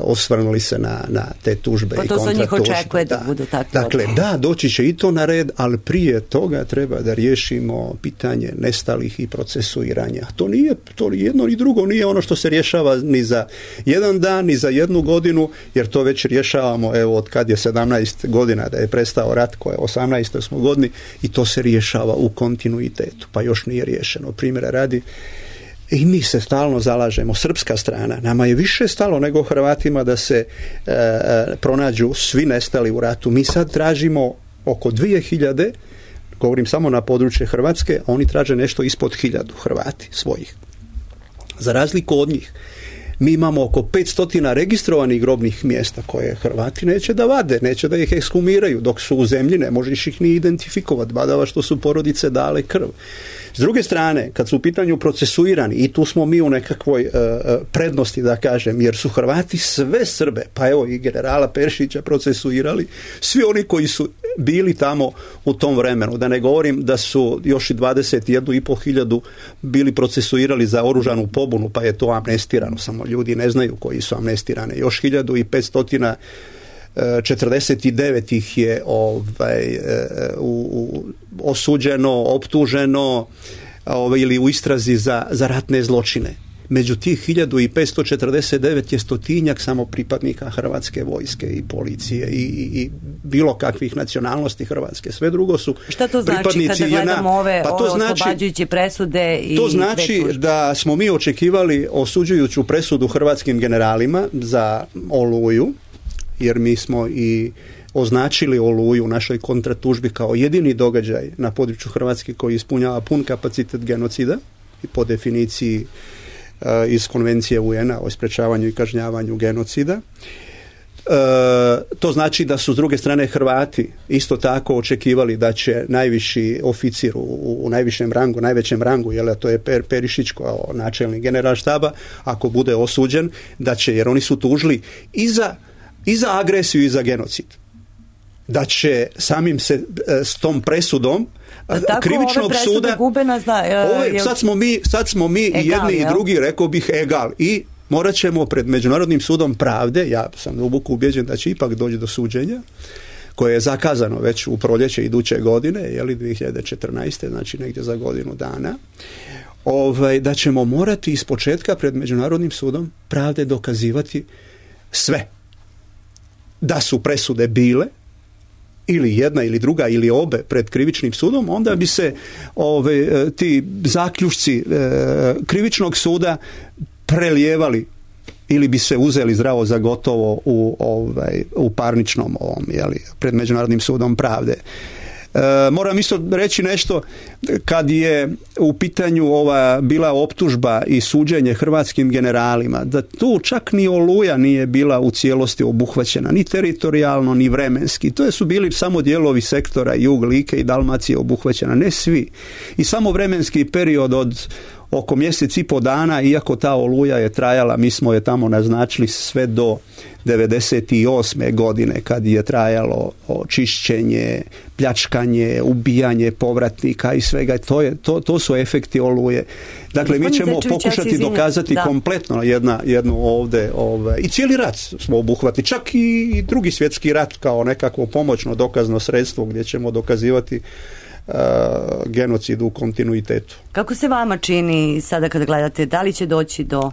osvrnuli se na te tužbe i kontratužbe. Pa to se njih očekuje da budu takve. Dakle, da, doći će i to na red, ali prije toga treba da riješimo pitanje nestalih i procesuiranja. To nije jedno ni drugo, nije ono što se rješava ni za jedan dan, ni za jednu godinu, jer to već rješavamo, evo, od kad je 17 godina da je prestao rat, koje 18. smo godini, i to se rješava u kontinuitetu, pa još nije riješeno. Primjera radi, i mi se stalno zalažemo, srpska strana, nama je više stalo nego Hrvatima da se pronađu svi nestali u ratu. Mi sad tražimo oko 2000, govorim samo na područje Hrvatske, a oni traže nešto ispod 1000 Hrvati svojih. Za razliku od njih, mi imamo oko 500 registrovanih grobnih mjesta koje Hrvati neće da vade, neće da ih ekshumiraju, dok su u zemlji ne možeš ih ni identifikovati, badava što su porodice dale krv. S druge strane, kad su u pitanju procesuirani, i tu smo mi u nekakvoj prednosti, da kažem, jer su Hrvati sve Srbe, pa evo i generala Perišića procesuirali, svi oni koji su bili tamo u tom vremenu, da ne govorim da su još i 21.500 bili procesuirali za oružanu pobunu, pa je to amnestirano, samo ljudi ne znaju koji su amnestirane. Još 1549 ih je osuđeno, optuženo ili u istrazi za ratne zločine. Među tih 1549 je 100-tinjak samo pripadnika Hrvatske vojske i policije i bilo kakvih nacionalnosti Hrvatske. Sve drugo su pripadnici. Šta to znači kada gledamo ove oslobađajuće presude? To znači da smo mi očekivali osuđujuću presudu hrvatskim generalima za Oluju, jer mi smo i označili Oluju u našoj kontratužbi kao jedini događaj na području Hrvatske koji ispunjava pun kapacitet genocida i po definiciji iz Konvencije UN-a o sprečavanju i kažnjavanju genocida. To znači da su s druge strane Hrvati isto tako očekivali da će najviši oficir u najvišem rangu, najvećem rangu, jer to je Perišić kao načelnik generalštaba, ako bude osuđen, da će, jer oni su tužili i za agresiju i za genocid, da će samim se s tom presudom krivičnog suda sad smo mi egal, i jedni i drugi, rekao bih, egal, i morat ćemo pred Međunarodnim sudom pravde, ja sam duboko ubeđen da će ipak doći do suđenja, koje je zakazano već u proljeće iduće godine, 2014. znači negdje za godinu dana, da ćemo morati ispočetka pred Međunarodnim sudom pravde dokazivati sve. Da su presude bile ili jedna ili druga ili obe pred krivičnim sudom, onda bi se ti zaključci krivičnog suda prelijevali ili bi se uzeli zdravo za gotovo u parničnom pred Međunarodnim sudom pravde. Moram isto reći nešto, kad je u pitanju bila optužba i suđenje hrvatskim generalima, da tu čak ni Oluja nije bila u cijelosti obuhvaćena, ni teritorijalno, ni vremenski. To su bili samo dijelovi sektora Jug, Like i Dalmacije obuhvaćena, ne svi. I samo vremenski period od oko mjesec i po dana, iako ta oluja je trajala, mi smo je tamo naznačili sve do 98. godine kad je trajalo čišćenje, pljačkanje, ubijanje povratnika i svega. To su efekti oluje. Dakle, mi ćemo pokušati dokazati kompletno jednu ovdje i cijeli rat smo obuhvatili, čak i drugi svjetski rat kao nekakvo pomoćno dokazno sredstvo gdje ćemo dokazivati genocid u kontinuitetu. Kako se vama čini sada kad gledate, da li će doći do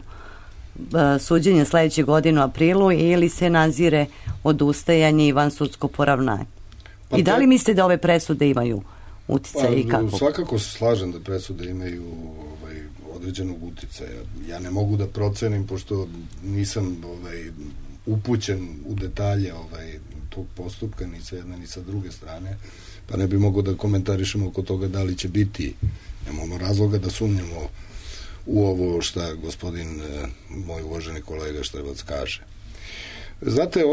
suđenja sljedeće godine u aprilu ili se nazire odustajanje i vansudsko poravnanje? I da li mislite da ove presude imaju utjecaj i kako? Svakako se slažem da presude imaju određenog utjecaja. Ja ne mogu da procenim, pošto nisam upućen u detalje tog postupka, ni sa jedne ni sa druge strane, pa ne bi mogo da komentarišemo oko toga da li će biti. Nemamo razloga da sumnjamo u ovo šta gospodin, moj uvaženi kolega Štebac kaže. Znate,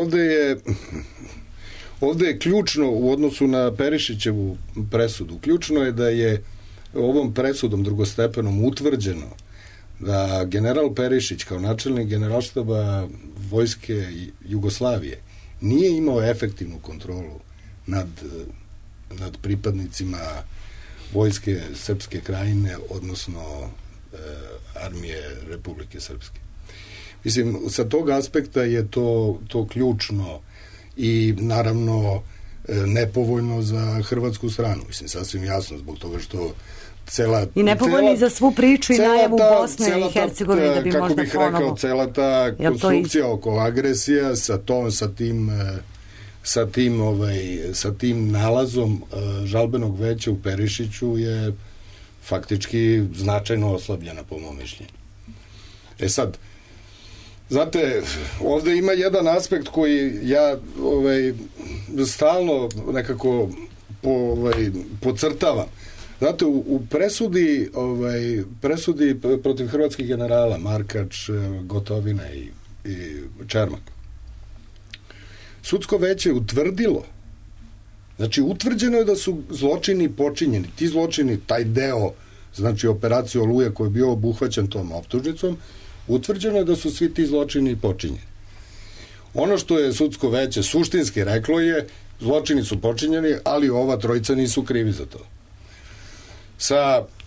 ovdje je ključno u odnosu na Perišićevu presudu. Ključno je da je ovom presudom drugostepenom utvrđeno da general Perišić kao načelnik generalštaba vojske Jugoslavije nije imao efektivnu kontrolu nad pripadnicima vojske Srpske krajine, odnosno armije Republike Srpske. Mislim, sa tog aspekta je to ključno i naravno nepovoljno za hrvatsku stranu. Mislim, sasvim jasno, zbog toga što i nepovoljni za svu priču i najavu Bosne i Hercegovine da bi kako možda bih ponovo... rekao, cela ta konstrukcija oko agresija sa tim nalazom žalbenog veća u Perišiću je faktički značajno oslabljena po mom mišljenju. Sad, znate, ovdje ima jedan aspekt koji ja stalno nekako podcrtavam. Znate, u presudi protiv hrvatskih generala Markač, Gotovina i Čermak, sudsko veće utvrdilo, znači utvrđeno je da su zločini počinjeni. Ti zločini, taj deo, znači operacija Oluja koji je bio obuhvaćen tom optužnicom, utvrđeno je da su svi ti zločini počinjeni. Ono što je sudsko veće suštinski reklo je, zločini su počinjeni, ali ova trojica nisu krivi za to.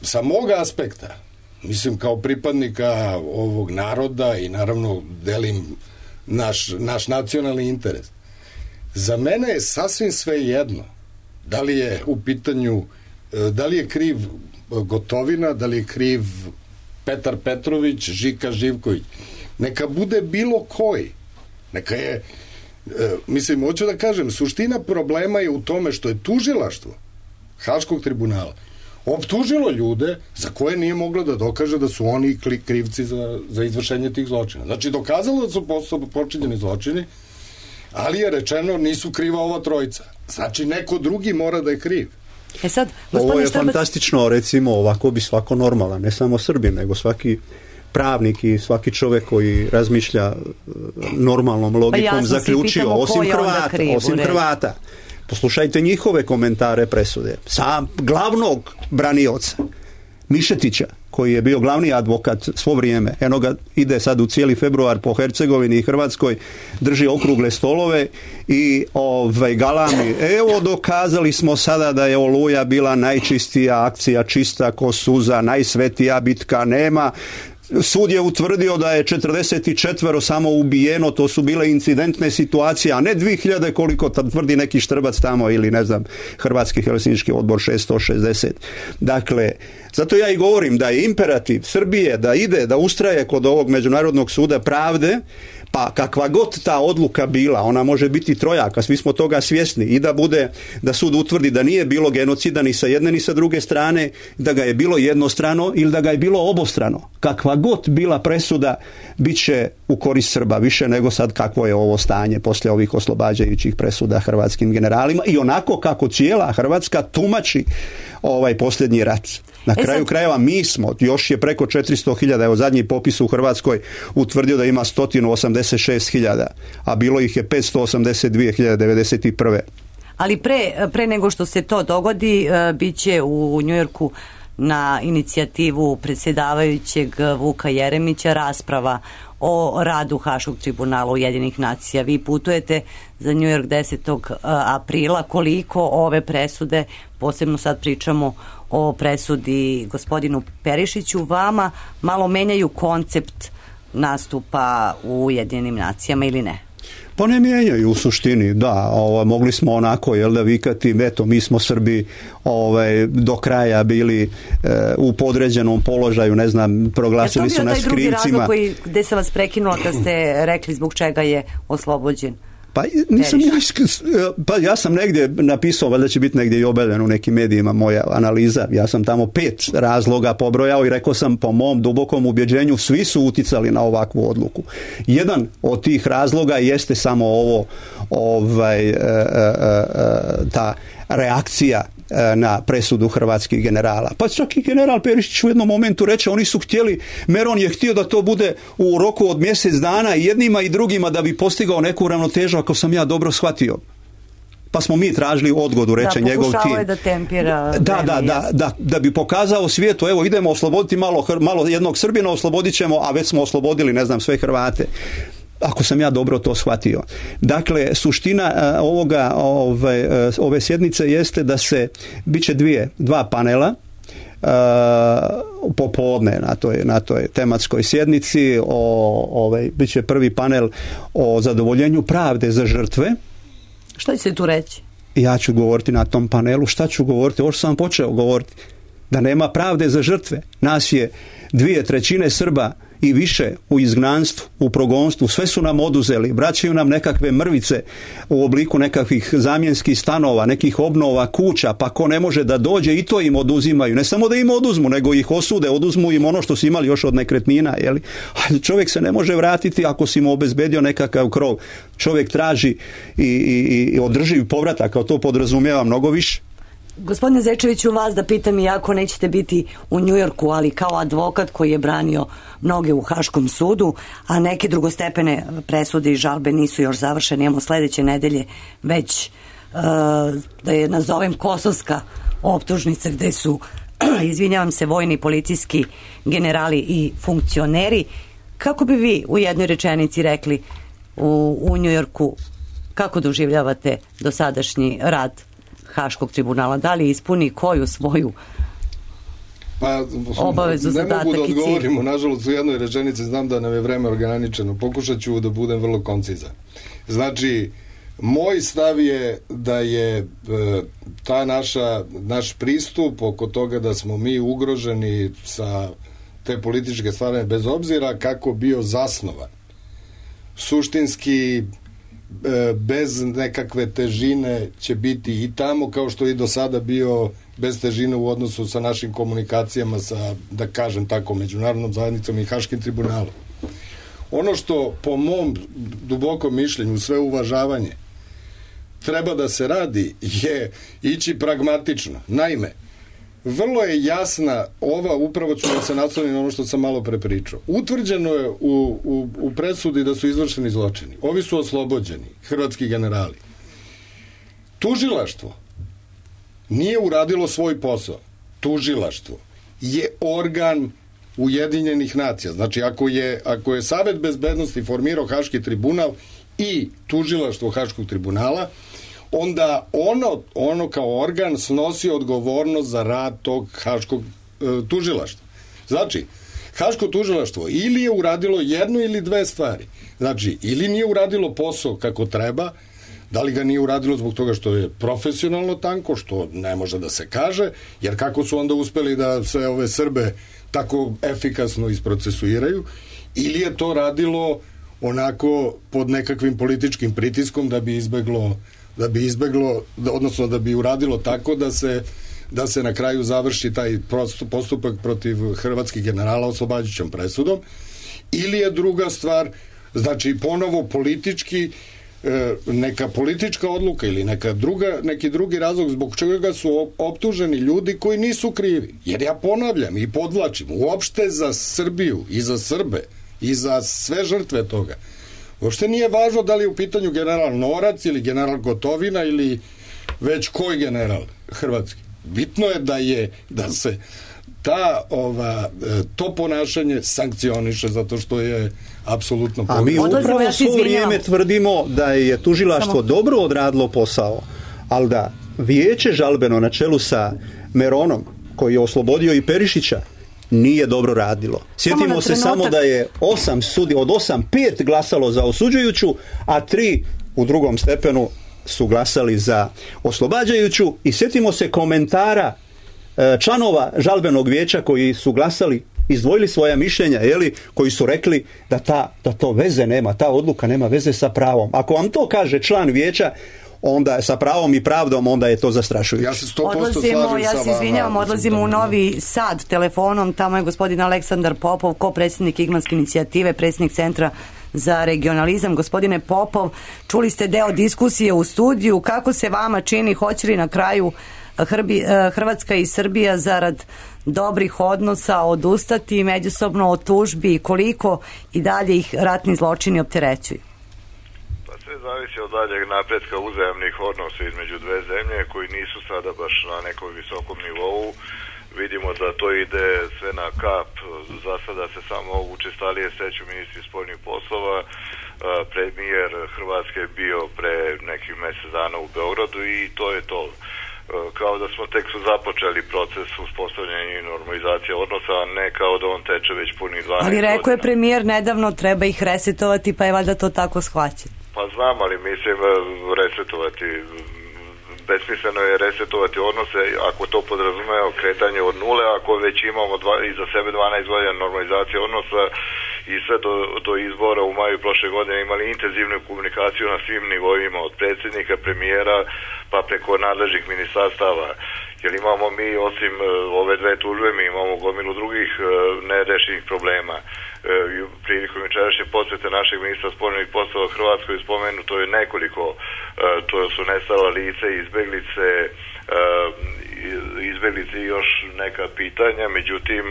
Sa mog aspekta, mislim kao pripadnika ovog naroda i naravno delim naš nacionalni interes, za mene je sasvim sve jedno da li je u pitanju, da li je kriv Gotovina, da li je kriv Petar Petrović, Žika Živković. Neka bude bilo koji. Neka je, mislim, hoću da kažem, suština problema je u tome što je tužilaštvo Haškog tribunala optužilo ljude za koje nije moglo da dokaže da su oni krivci za izvršenje tih zločina. Znači, dokazalo da su počinjeni zločini, ali je rečeno nisu kriva ova trojica. Znači, neko drugi mora da je kriv. Ovo je fantastično, recimo, ovako bi svako normalan, ne samo Srbin, nego svaki pravnik i svaki čovjek koji razmišlja normalnom logikom zaključio, osim Hrvata. Poslušajte njihove komentare presude. Sam glavnog branioca Mišetića, koji je bio glavni advokat svo vrijeme, eno ga ide sad u cijeli februar po Hercegovini i Hrvatskoj, drži okrugle stolove i galami, evo dokazali smo sada da je Oluja bila najčistija akcija, čista ko suza, najsvetija bitka, nema. Sud je utvrdio da je 44 samo ubijeno, to su bile incidentne situacije, a ne 2000 koliko tvrdi neki Štrbac tamo ili ne znam, Hrvatski helsinški odbor 660. Dakle, zato ja i govorim da je imperativ Srbije da ide, da ustraje kod ovog Međunarodnog suda pravde, pa kakva god ta odluka bila, ona može biti trojaka, svi smo toga svjesni, i da bude, da sud utvrdi da nije bilo genocida ni sa jedne ni sa druge strane, da ga je bilo jednostrano ili da ga je bilo obostrano. Kakva god bila presuda, bit će u korist Srba, više nego sad kakvo je ovo stanje poslije ovih oslobađajućih presuda hrvatskim generalima i onako kako cijela Hrvatska tumači ovaj posljednji rat. Na kraju krajeva mi smo, još je preko 400.000, evo zadnji popis u Hrvatskoj utvrdio da ima 186.000, a bilo ih je 582.091. Ali pre nego što se to dogodi, bit će u Njujorku na inicijativu predsjedavajućeg Vuka Jeremića rasprava o radu Haškog tribunala Ujedinjenih nacija. Vi putujete za New York 10. aprila. Koliko ove presude, posebno sad pričamo o presudi gospodinu Perišiću, vama malo menjaju koncept nastupa u Ujedinjenim nacijama ili ne? Pa ne mijenjaju u suštini, da, mogli smo onako, da vikati, eto, mi smo Srbi do kraja bili u podređenom položaju, ne znam, proglasili su nas krivcima. Je to bio taj drugi razlog gde sam vas prekinula kad ste rekli zbog čega je oslobođen? Pa ja sam negdje napisao, valjda će biti negdje i objavljeno u nekim medijima moja analiza, ja sam tamo 5 razloga pobrojao i rekao sam, po mom dubokom ubjeđenju svi su uticali na ovakvu odluku. Jedan od tih razloga jeste samo ta reakcija na presudu hrvatskih generala. Pa čak i general Perišić u jednom momentu reče, oni su htjeli, Meron je htio da to bude u roku od mjesec dana i jednima i drugima da bi postigao neku ravnotežu, ako sam ja dobro shvatio. Pa smo mi tražili odgodu, reče njegov tim. Pokušao je da tempira. Da bi pokazao svijetu, evo idemo osloboditi malo jednog Srbina, oslobodit ćemo, a već smo oslobodili, ne znam, sve Hrvate. Ako sam ja dobro to shvatio. Dakle, suština ove sjednice jeste da bit će dva panela popodne na toj tematskoj sjednici. Bit će prvi panel o zadovoljenju pravde za žrtve. Što će se tu reći? Ja ću govoriti na tom panelu. Šta ću govoriti? Ovo što sam počeo govoriti. Da nema pravde za žrtve. Nas je 2/3 Srba i više u izgnanstvu, u progonstvu, sve su nam oduzeli, vraćaju nam nekakve mrvice u obliku nekakvih zamjenskih stanova, nekih obnova kuća, pa ko ne može da dođe i to im oduzimaju. Ne samo da im oduzmu, nego ih osude, oduzmu im ono što su imali još od nekretnina. Čovjek se ne može vratiti ako si mu obezbedio nekakav krov. Čovjek traži i održiv povratak, kao to podrazumijeva mnogo više. Gospodine Zečeviću, vas da pitam, iako nećete biti u Njujorku, ali kao advokat koji je branio mnoge u Haškom sudu, a neke drugostepene presude i žalbe nisu još završene, imamo sljedeće nedelje već da je nazovem kosovska optužnica gde su, izvinjavam se, vojni policijski generali i funkcioneri. Kako bi vi u jednoj rečenici rekli u Njujorku, kako doživljavate dosadašnji rad Haškog tribunala? Da li ispuni koju svoju obavezu, zadatak i cilj? Ne mogu da odgovorimo, nažalost, u jednoj rečenici, znam da nam je vreme ograničeno, pokušat ću da budem vrlo koncizan. Znači, moj stav je da je naš pristup oko toga da smo mi ugroženi sa te političke strane, bez obzira kako bio zasnovan, suštinski bez nekakve težine će biti i tamo, kao što i do sada bio bez težine u odnosu sa našim komunikacijama sa, da kažem tako, međunarodnom zajednicom i Haškim tribunalom. Ono što po mom dubokom mišljenju, sve uvažavanje, treba da se radi je ići pragmatično. Naime, vrlo je jasna upravo ću da se naslonim na ono što sam malo pre pričao. Utvrđeno je u presudi da su izvršeni zločini. Ovi su oslobođeni, hrvatski generali. Tužilaštvo nije uradilo svoj posao. Tužilaštvo je organ Ujedinjenih nacija. Znači, ako je Savet bezbednosti formirao Haški tribunal i tužilaštvo Haškog tribunala, onda ono kao organ snosi odgovornost za rad tog Haškog tužilaštva. Znači, Haško tužilaštvo ili je uradilo jednu ili dve stvari. Znači, ili nije uradilo posao kako treba, da li ga nije uradilo zbog toga što je profesionalno tanko, što ne može da se kaže, jer kako su onda uspeli da sve ove Srbe tako efikasno isprocesuiraju, ili je to radilo onako pod nekakvim političkim pritiskom da bi izbeglo, odnosno da bi uradilo tako da se na kraju završi taj postupak protiv hrvatskih generala oslobađajućom presudom, ili je druga stvar, znači ponovo politički, neka politička odluka ili neki drugi razlog zbog čega su optuženi ljudi koji nisu krivi. Jer ja ponavljam i podvlačim, uopšte za Srbiju i za Srbe i za sve žrtve toga, uopšte nije važno da li je u pitanju general Norac ili general Gotovina ili već koji general hrvatski. Bitno je da se to ponašanje sankcioniše zato što je apsolutno pogrešno. A mi upravo svo vrijeme tvrdimo da je tužilaštvo dobro odradilo posao, ali da vijeće žalbeno na čelu sa Meronom, koji je oslobodio i Perišića, nije dobro radilo. Sjetimo se samo da je od 8 5 glasalo za osuđujuću, a 3 u drugom stepenu su glasali za oslobađajuću, i sjetimo se komentara članova žalbenog vijeća koji su glasali, izdvojili svoja mišljenja, koji su rekli da to veze nema, ta odluka nema veze sa pravom. Ako vam to kaže član vijeća, onda sa pravom i pravdom, onda je to zastrašujuće. Ja se 100% slažem ja se izvinjavam, odlazimo u Novi Sad telefonom, tamo je gospodin Aleksandar Popov, ko-predsjednik Igmanske inicijative, predsjednik Centra za regionalizam. Gospodine Popov, čuli ste deo diskusije u studiju, kako se vama čini, hoće li na kraju Hrvatska i Srbija zarad dobrih odnosa odustati međusobno od tužbi i koliko i dalje ih ratni zločini opterećuju? Sve zavisi od daljeg napretka uzajamnih odnosa između dve zemlje koji nisu sada baš na nekom visokom nivou. Vidimo da to ide sve na kap. Za sada se samo učestalije sreću ministri spoljnih poslova. Premijer Hrvatske je bio pre nekih mjesec dana u Beogradu i to je to. Kao da smo tek su započeli proces uspostavljanja i normalizacije odnosa, a ne kao da on teče već punih 12 godina. Ali rekao je premijer nedavno, treba ih resetovati, pa je valjda to tako shvaćeno. Pa znam, ali mislim resetovati, besmisleno je resetovati odnose ako to podrazumeva kretanje od nule, ako već imamo iza sebe 12 godina normalizacije odnosa i sve do izbora u maju prošle godine imali intenzivnu komunikaciju na svim nivoima, od predsjednika, premijera pa preko nadležnih ministarstava. Jer imamo mi, osim ove dve tužbe, mi imamo gomilu drugih nerešenih problema. Prilikom jučerašnje posjete našeg ministra spoljnih poslova Hrvatskoj spomenuto je nekoliko, to su nestala lice, izbjeglice i još neka pitanja, međutim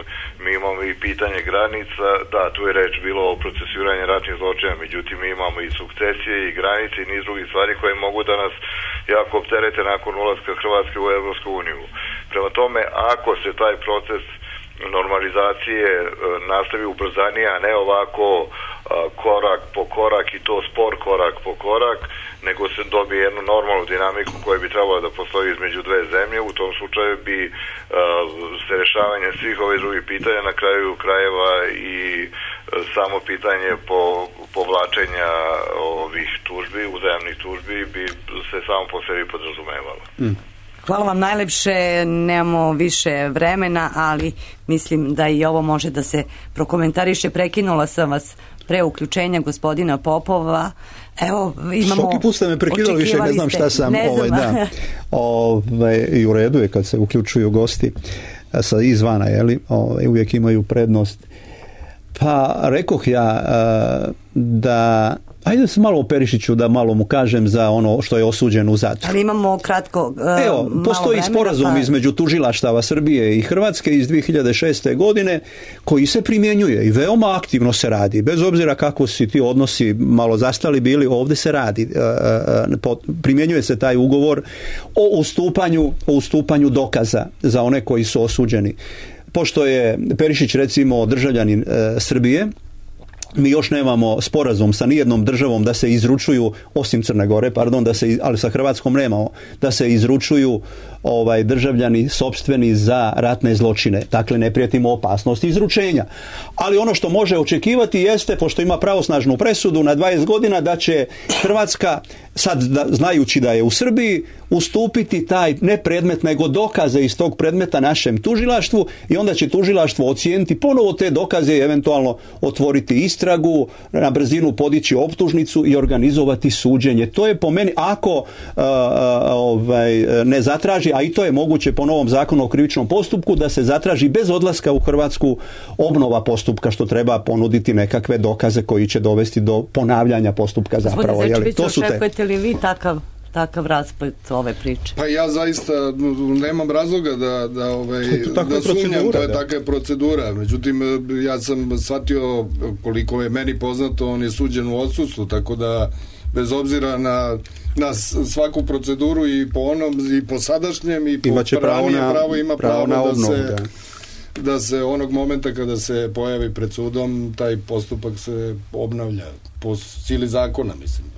mi imamo i pitanje granica, da, tu je reč bilo o procesuiranju ratnih zločina, međutim mi imamo i sukcesije i granice i niz drugih stvari koje mogu da nas jako opterete nakon ulaska Hrvatske u Evropsku uniju. Prema tome, ako se taj proces normalizacije nastavi ubrzanije, a ne ovako korak po korak i to spor korak po korak, nego se dobije jednu normalnu dinamiku koja bi trebala da postoji između dve zemlje. U tom slučaju bi se rešavanje svih ovih drugih pitanja na kraju krajeva i samo pitanje povlačenja ovih tužbi, uzajamnih tužbi bi se samo po sebi podrazumevalo. Hvala vam najlepše, nemamo više vremena, ali mislim da i ovo može da se prokomentariše. Prekinula sam vas pre uključenja gospodina Popova. Evo, imamo... Svaki put ste me prekinuli, više ne znam šta sam. I u redu je kad se uključuju gosti sa izvana, uvijek imaju prednost. Pa rekoh ja da... Ajde se malo o Perišiću da malo mu kažem za ono što je osuđen u zatvoru. Ali imamo kratko Evo, postoji sporazum između tužilaštava Srbije i Hrvatske iz 2006. godine koji se primjenjuje i veoma aktivno se radi. Bez obzira kako si ti odnosi malo zastali bili, ovdje se radi. Primjenjuje se taj ugovor o ustupanju dokaza za one koji su osuđeni. Pošto je Perišić recimo državljanin Srbije, mi još nemamo sporazum sa nijednom državom da se izručuju, osim Crne Gore, ali sa Hrvatskom nemamo, da se izručuju državljani sopstveni za ratne zločine. Dakle, ne prijetimo opasnost izručenja. Ali ono što može očekivati jeste, pošto ima pravosnažnu presudu na 20 godina, da će Hrvatska, sad znajući da je u Srbiji, ustupiti taj ne predmet, nego dokaze iz tog predmeta našem tužilaštvu i onda će tužilaštvo ocijeniti ponovo te dokaze i eventualno otvoriti istragu, na brzinu podići optužnicu i organizovati suđenje. To je po meni, ako ne zatraži, a i to je moguće po novom zakonu o krivičnom postupku, da se zatraži bez odlaska u Hrvatsku obnova postupka, što treba ponuditi nekakve dokaze koji će dovesti do ponavljanja postupka zapravo. Očekujete li vi takav rasplet ove priče? Pa ja zaista nemam razloga da sumnjam, to je takva procedura. Međutim, ja sam shvatio, koliko je meni poznato, on je suđen u odsustvu, tako da bez obzira na svaku proceduru i po onom i po sadašnjem i po pravo ima pravo da se da se onog momenta kada se pojavi pred sudom, taj postupak se obnavlja po sili zakona, mislim.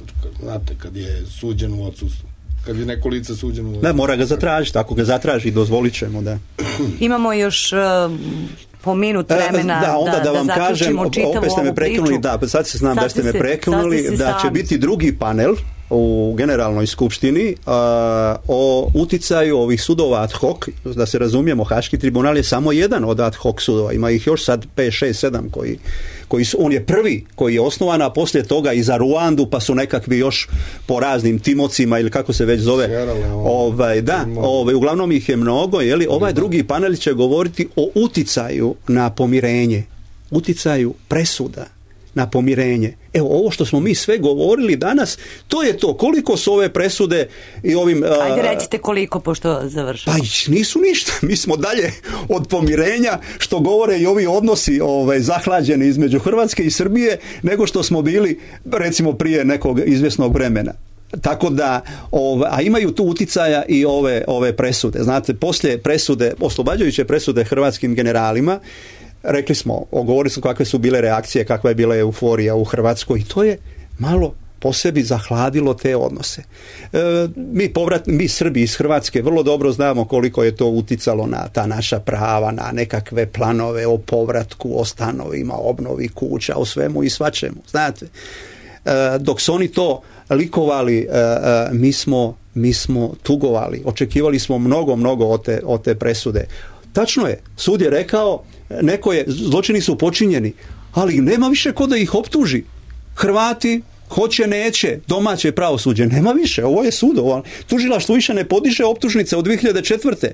Znate, kad je suđen u odsustvu. Kad je neko lice suđeno u odsustvu. Da, mora ga zatražiti. Ako ga zatraži, dozvolit ćemo, da. Imamo još po minut vremena da, onda da vam kažem, opet ste me prekinuli, da, sad se znam da ste me prekinuli, da će biti drugi panel u Generalnoj skupštini o uticaju ovih sudova ad hoc, da se razumijemo, Haški tribunal je samo jedan od ad hoc sudova, ima ih još sad 5, 6, 7 koji su, on je prvi koji je osnovan, a poslije toga i za Ruandu, pa su nekakvi još po raznim Timocima ili kako se već zove, uglavnom ih je mnogo, jeli, ovaj drugi panel će govoriti o uticaju na pomirenje, uticaju presuda na pomirenje. Evo, ovo što smo mi sve govorili danas, to je to. Koliko su ove presude i ovim... Ajde recite koliko, pošto završamo. Pa nisu ništa. Mi smo dalje od pomirenja, što govore i ovi odnosi zahlađeni između Hrvatske i Srbije, nego što smo bili, recimo, prije nekog izvjesnog vremena. Tako da, a imaju tu uticaja i ove presude. Znate, poslije presude, oslobađajuće presude hrvatskim generalima, rekli smo, govorili smo kakve su bile reakcije, kakva je bila euforija u Hrvatskoj i to je malo po sebi zahladilo te odnose. Mi Srbi iz Hrvatske vrlo dobro znamo koliko je to uticalo na ta naša prava, na nekakve planove o povratku, o stanovima, obnovi kuća, o svemu i svačemu. Znate, dok su oni to likovali, mi smo tugovali, očekivali smo mnogo od te presude. Tačno je, sud je rekao, zločini su počinjeni, ali nema više ko da ih optuži. Hrvati hoće, neće, domaće pravosuđe, nema više, ovo je sud, tužilaštvo više ne podiže optužnice od 2004.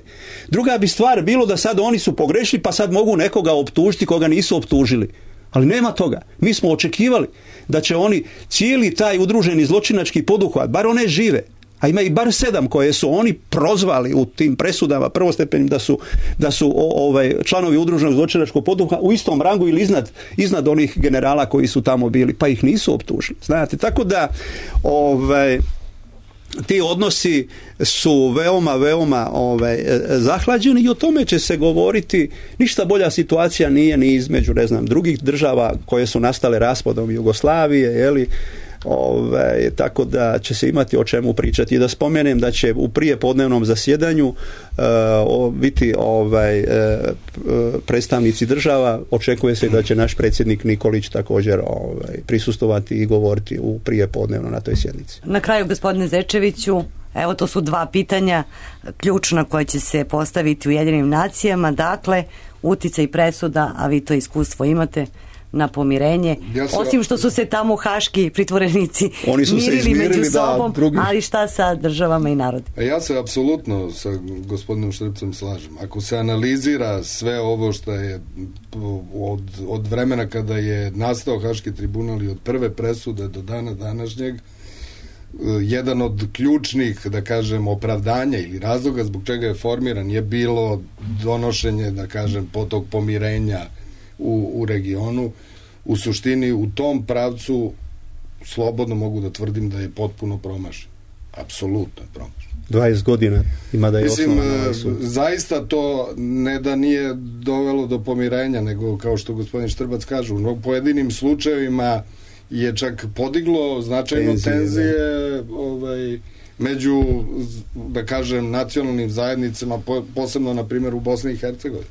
Druga bi stvar bilo da sad oni su pogrešili, pa sad mogu nekoga optužiti koga nisu optužili. Ali nema toga. Mi smo očekivali da će oni cijeli taj udruženi zločinački poduhvat, bar one žive, a ima i bar 7 koje su oni prozvali u tim presudama prvostepenim da su članovi udruženog zločinačkog poduhvata u istom rangu ili iznad onih generala koji su tamo bili, pa ih nisu optužili. Znate, tako da ti odnosi su veoma zahlađeni i o tome će se govoriti. Ništa bolja situacija nije ni između, drugih država koje su nastale raspadom Jugoslavije, jeli, tako da će se imati o čemu pričati. I da spomenem da će u prijepodnevnom zasjedanju biti predstavnici država. Očekuje se da će naš predsjednik Nikolić također prisustovati i govoriti u prijepodnevno na toj sjednici. Na kraju, gospodine Zečeviću, evo, to su 2 pitanja ključna koja će se postaviti u Ujedinjenim nacijama. Dakle, uticaj presuda, a vi to iskustvo imate, na pomirenje. Osim što su se tamo haški pritvorenici mirili među sobom, ali šta sa državama i narodima? Ja se apsolutno sa gospodinom Štrbcem slažem. Ako se analizira sve ovo što je od vremena kada je nastao Haški tribunal i od prve presude do dana današnjeg, jedan od ključnih, da kažem, opravdanja ili razloga zbog čega je formiran je bilo donošenje, da kažem, tog pomirenja u regionu. U suštini u tom pravcu slobodno mogu da tvrdim da je potpuno promašen. Apsolutno je promašen. 20 godina ima da je osnovan. Zaista to ne da nije dovelo do pomirenja, nego kao što gospodin Štrbac kaže, u pojedinim slučajevima je čak podiglo značajno tenzije među, da kažem, nacionalnim zajednicama, posebno na primjer u Bosni i Hercegovini.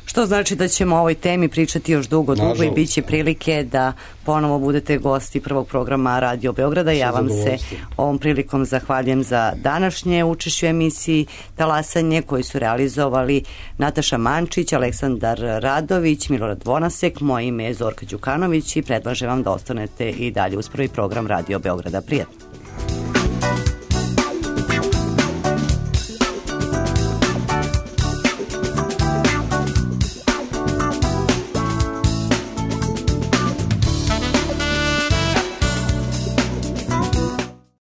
Što znači da ćemo o ovoj temi pričati još dugo i bit će prilike da ponovo budete gosti prvog programa Radio Beograda. Ja vam se ovom prilikom zahvaljujem za današnje učešće u emisiji Talasanje koji su realizovali Nataša Mančić, Aleksandar Radović, Milorad Vonasek, moje ime je Zorka Đukanović i predlažem vam da ostanete i dalje uz prvi program Radio Beograda. Prijatno.